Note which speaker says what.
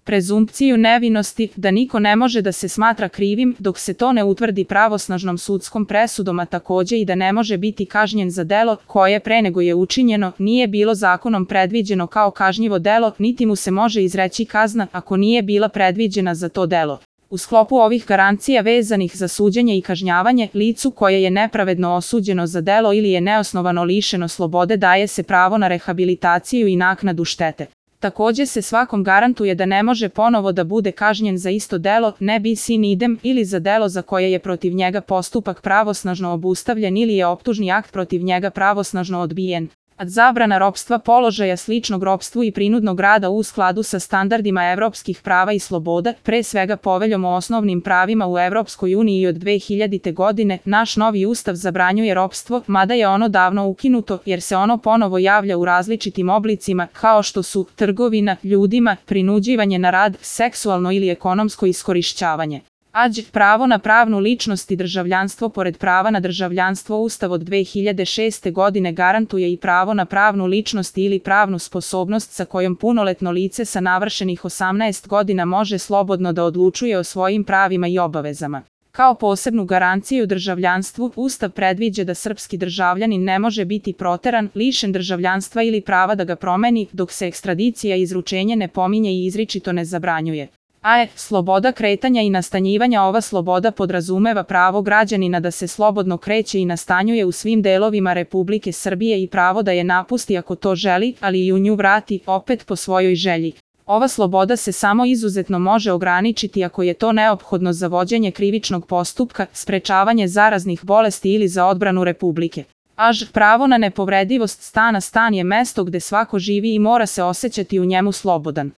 Speaker 1: prezumpciju nevinosti, da niko ne može da se smatra krivim dok se to ne utvrdi pravosnažnom sudskom presudom, a takođe i da ne može biti kažnjen za delo koje pre nego je učinjeno nije bilo zakonom predviđeno kao kažnjivo delo, niti mu se može izreći kazna ako nije bila predviđena za to delo. U sklopu ovih garancija vezanih za suđenje i kažnjavanje, licu koje je nepravedno osuđeno za delo ili je neosnovano lišeno slobode daje se pravo na rehabilitaciju i naknadu štete. Takođe se svakom garantuje da ne može ponovo da bude kažnjen za isto delo, ne bis in idem, ili za delo za koje je protiv njega postupak pravosnažno obustavljen ili je optužni akt protiv njega pravosnažno odbijen. Zabrana ropstva, položaja sličnog ropstvu i prinudnog rada u skladu sa standardima evropskih prava i sloboda, pre svega Poveljom o osnovnim pravima u Evropskoj uniji od 2000. godine, naš novi ustav zabranjuje ropstvo, mada je ono davno ukinuto, jer se ono ponovo javlja u različitim oblicima, kao što su trgovina ljudima, prinuđivanje na rad, seksualno ili ekonomsko iskorišćavanje. Pravo na pravnu ličnost i državljanstvo. Pored prava na državljanstvo, Ustav od 2006. godine garantuje i pravo na pravnu ličnost ili pravnu sposobnost sa kojom punoletno lice sa navršenih 18 godina može slobodno da odlučuje o svojim pravima i obavezama. Kao posebnu garanciju državljanstvu, Ustav predviđa da srpski državljanin ne može biti proteran, lišen državljanstva ili prava da ga promeni, dok se ekstradicija i izručenje ne pominje i izričito ne zabranjuje. Sloboda kretanja i nastanjivanja. Ova sloboda podrazumeva pravo građanina da se slobodno kreće i nastanjuje u svim delovima Republike Srbije i pravo da je napusti ako to želi, ali i u nju vrati, opet po svojoj želji. Ova sloboda se samo izuzetno može ograničiti ako je to neophodno za vođenje krivičnog postupka, sprečavanje zaraznih bolesti ili za odbranu Republike. Pravo na nepovredivost stana. Stan je mesto gde svako živi i mora se osjećati u njemu slobodan.